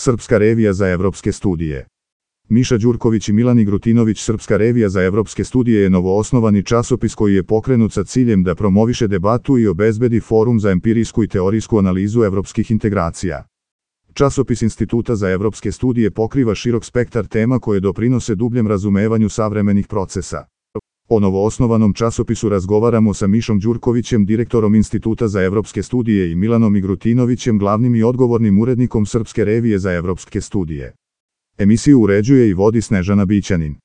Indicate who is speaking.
Speaker 1: Srpska revija za evropske studije. Miša Đurković i Milan Igrutinović. Srpska revija za evropske studije je novoosnovani časopis koji je pokrenut sa ciljem da promoviše debatu i obezbedi forum za empirijsku i teorijsku analizu evropskih integracija. Časopis Instituta za evropske studije pokriva širok spektar tema koje doprinose dubljem razumevanju savremenih procesa. O novoosnovanom časopisu razgovaramo sa Mišom Đurkovićem, direktorom Instituta za evropske studije, i Milanom Igrutinovićem, glavnim i odgovornim urednikom Srpske revije za evropske studije. Emisiju uređuje i vodi Snežana Bićanin.